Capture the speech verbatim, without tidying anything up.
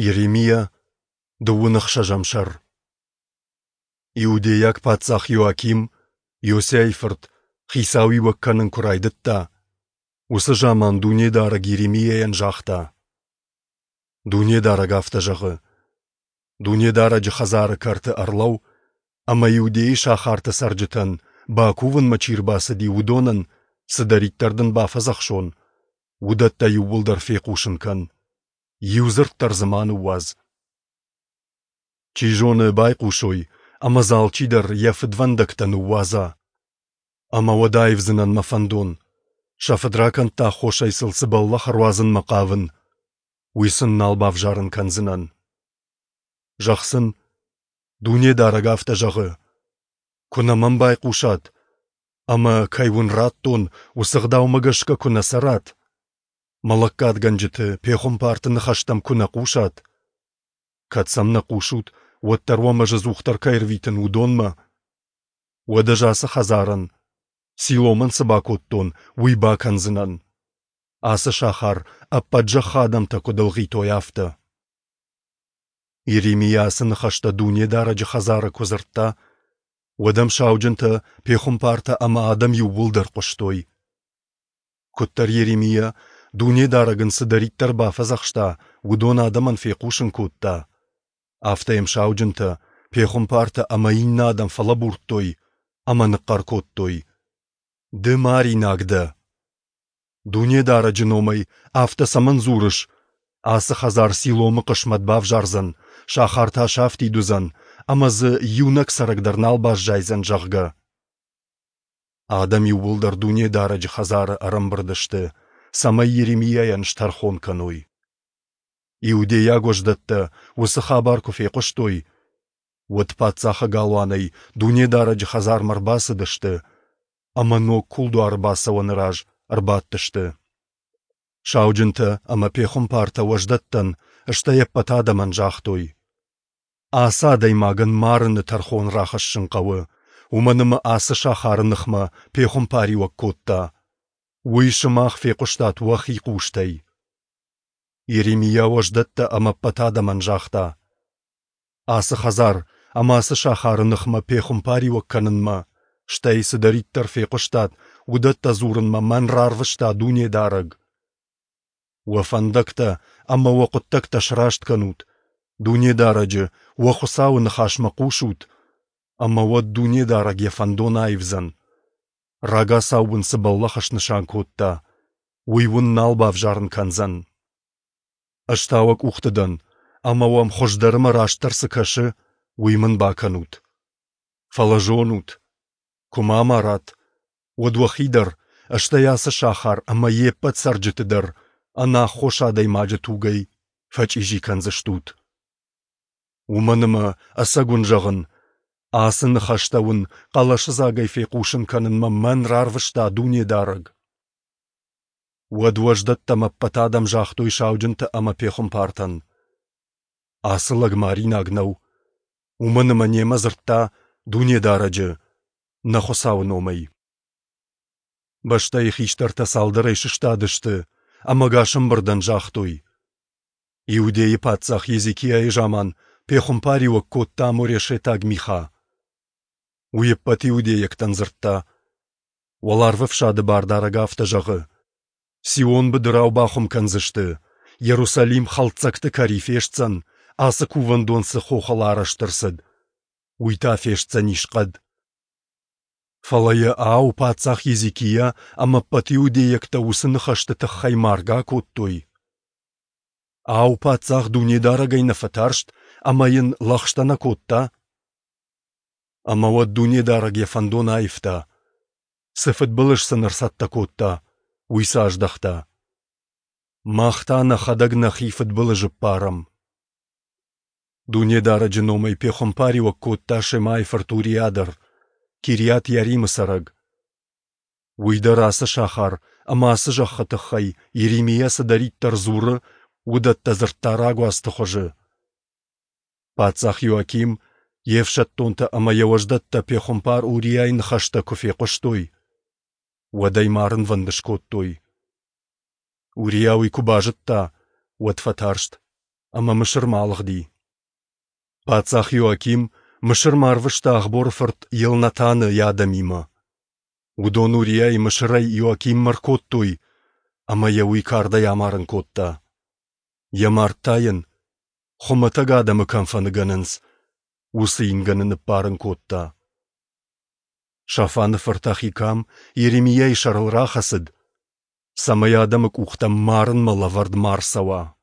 Йеремиа, дыууын ӕхсӕзӕм сӕр. Иудейаг паддзах Иоаким, Иосиайы фырт, хицауиуӕг кӕнын куы райдыдта, уыцы заман Дунедарӕг Йеремиайӕн загъта: Дунедарӕг афтӕ зӕгъы: Дунедарӕджы хӕдзары кӕрты ӕрлӕуу ӕмӕ Иудейы сахарты цӕрджытӕн, бакувынмӕ чи рбацыди, уыдонӕн цыдӕриддӕр дын бафӕдзӕхсон, уыдӕттӕ иууылдӕр фехъусын кӕн. Иу дзырд дӕр дзы ма ныууадз. Чи зоны, байхъусой, ӕмӕ дзы алчидӕр йӕ фыдвӕндӕгтӕ ныууадза. Ӕмӕ уӕд аивдзынӕн мӕ фӕндон, сӕ фыдракӕндты аххосӕй сыл цы бӕллӕх ӕруадзынмӕ хъавын, уый сын нал бавзарын кӕндзынӕн. Зӕгъ сын, Дунедарӕг афтӕ зӕгъы: Куы нӕ мӕм байхъусат, ӕмӕ, кӕй уын радтон, уыцы ӕгъдаумӕ гӕсгӕ куы нӕ цӕрат, мӕ лӕггадгӕнджыты, пехуымпарты ныхӕстӕм куы нӕ хъусат, кӕд сӕм нӕ хъусут, уӕддӕр уӕм ӕз ӕдзухдӕр кӕй ӕрвитын, уыдонмӕ, уӕд ӕз ацы хӕдзарӕн, Силомӕн цы бакодтон, уый бакӕндзынӕн, ацы сахар ӕппӕт зӕххы адӕмтӕ куыд ӕлгъитой, афтӕ. Йеремиа ацы ныхӕстӕ Дунедарӕджы хӕдзары куы дзырдта, уӕд ӕм сауджынтӕ, пехуымпартӕ ӕмӕ адӕм иууылдӕр хъуыстой. Куыддӕр Йеремиа, Дунедарӕг ын цыдӕриддӕр бафӕдзӕхста, уыдон адӕмӕн фехъусын кодта, афтӕ йӕм сауджынтӕ, пехуымпартӕ ӕмӕ иннӕ адӕм фӕлӕбурдтой ӕмӕ ныхъхъӕр кодтой: «Ды маринаг дӕ! Дунедарӕджы номӕй афтӕ цӕмӕн дзурыс, ацы хӕдзар Силомы хъысмӕт бавзардзӕн, сахар та сафтид уыдзӕн, ӕмӕ дзы иунӕг цӕрӕг дӕр нал баззайдзӕн, зӕгъгӕ?» Адӕм иууылдӕр Дунедарӕджы хӕдзары ӕрӕмбырд сты, цӕмӕй Йеремиайӕн стӕрхон кӕной. Иудейаг уӕздӕттӕ уыцы хабар куы фехъуыстой, уӕд паддзахы галуанӕй Дунедарӕджы хӕдзармӕ ӕрбацыдысты ӕмӕ ног кулдуары бацӕуӕны раз ӕрбадтысты. Сауджынтӕ ӕмӕ пехуымпартӕ уӕздӕттӕн, стӕй ӕппӕт адӕмӕн загътой: Ацы адӕймагӕн марыны тӕрхон рахӕссын хъӕуы, уымӕн ӕмӕ ацы сахары ныхмӕ пехуымпариуӕг кодта. Уый сымах фехъуыстат уӕхи хъустӕй. Йеремиа уӕздӕттӕ ӕмӕ ӕппӕт адӕмӕн загъта: Ацы хӕдзар ӕмӕ ацы сахары ныхмӕ пехуымпариуӕг кӕнынмӕ, стӕй цыдӕриддӕр фехъуыстат, уыдӕттӕ дзурынмӕ мӕн рарвыста Дунедарӕг. Уӕ фӕндӕгтӕ ӕмӕ уӕ хъуыддӕгтӕ сраст кӕнут, Дунедарӕджы, уӕ Хуыцауы ныхасмӕ хъусут, ӕмӕ уӕд Дунедарӕг йӕ фӕндон аивдзӕн. Рагацау уын цы бӕллӕх снысан кодта, уый уын нал бавзарын кӕндзӕн. Ӕз та уӕ къухты дӕн, ӕмӕ уӕм хуыздӕр ӕмӕ растдӕр цы кӕсы, уый мын бакӕнут. Фӕлӕ зонут, куы мӕ амарат, уӕд уӕхи дӕр, стӕй ацы сахар ӕмӕ йе ппӕт цӕрджыты дӕр ӕнаххос адӕймаджы тугӕй фӕчъизи кӕндзыстут. Уымӕн ӕмӕ, ӕцӕг уын зӕгъын, ацы ныхӕстӕ уын хъӕлӕсыдзагӕй фехъусын кӕнынмӕ мӕн рарвыста Дунедарӕг. Уӕд уӕздӕттӕм ӕппӕт адӕм загътой сауджынтӕ ӕмӕ пехуымпартӕн: Ацы лӕг маринаг нӕу, уымӕн ӕмӕ немӕ дзырдта Дунедарӕджы, нӕ Хуыцауы номӕй. Бӕстӕйы хистӕртӕ цалдӕрӕй сыстадысты ӕмӕ ӕгас ӕмбырдӕн загътой: Иудейы паддзах Езекиайы заман пехуымпариуӕг кодта морешетаг Миха. Уый ӕппӕт иудейӕгтӕн дзырдта: Уӕларвӕфсады Бардарӕг афтӕ зӕгъы: Сион быдырау бахуым кӕндзысты, Иерусалим хӕлддзӕгты кӕри фестдзӕн, ацы кувӕндон цы хохыл арӕзт ӕрцыд, уый та фестдзӕнис хъӕд. Фӕлӕ йӕ, ау, паддзах Езекиа ӕмӕ ӕппӕт иудейӕгтӕ уыцы ныхӕсты тыххӕй маргӕ акодтой? Ау, паддзах Дунедарӕгӕй нӕ фӕтарст ӕмӕ йын лӕгъстӕ нӕ кодта? Ӕмӕ уӕд Дунедарӕг йӕ фӕндон аивта. Цы фыдбылыз сын ӕрцӕттӕ кодта, уый сӕ аздӕхта. Мах та нӕхӕдӕг нӕхи фыдбылызы ппарӕм. Дунедарӕджы номӕй пехуымпариуӕг кодта Шемайы фырт Уриа дӕр, Кириат-Иаримы цӕрӕг. Уый дӕр ацы сахар ӕмӕ ацы зӕххы тыххӕй Йеремиа цыдӕриддӕр дзуры, уыдӕттӕ дзырдта рагуацты хуызы. Паддзах Иоаким, йе фсӕддонтӕ ӕмӕ йӕ уӕздӕттӕ пехуымпар Уриайы ныхӕстӕ куы фехъуыстой, уӕд ӕй марынвӕнд скодтой. Уриа уый куы базыдта, уӕд фӕтарст ӕмӕ Мысырмӕ алыгъди. Паддзах Иоаким Мысырмӕ арвыста Ахборы фырт Елнатаны йӕ адӕмимӕ. Уыдон Уриайы Мысырӕй Иоакиммӕ ӕркодтой, ӕмӕ йӕ уый кардӕй амарын кодта. Йӕ мард та йын, хуымӕтӕг адӕмы кӕм фӕныгӕнынц, уыцы ингӕны ныппарын кодта. Шафаны фырт Ахикам Йеремиайы сӕрыл рахӕцыд, цӕмӕй адӕмы къухтӕм марынмӕ лӕвӕрд ма рцӕуа.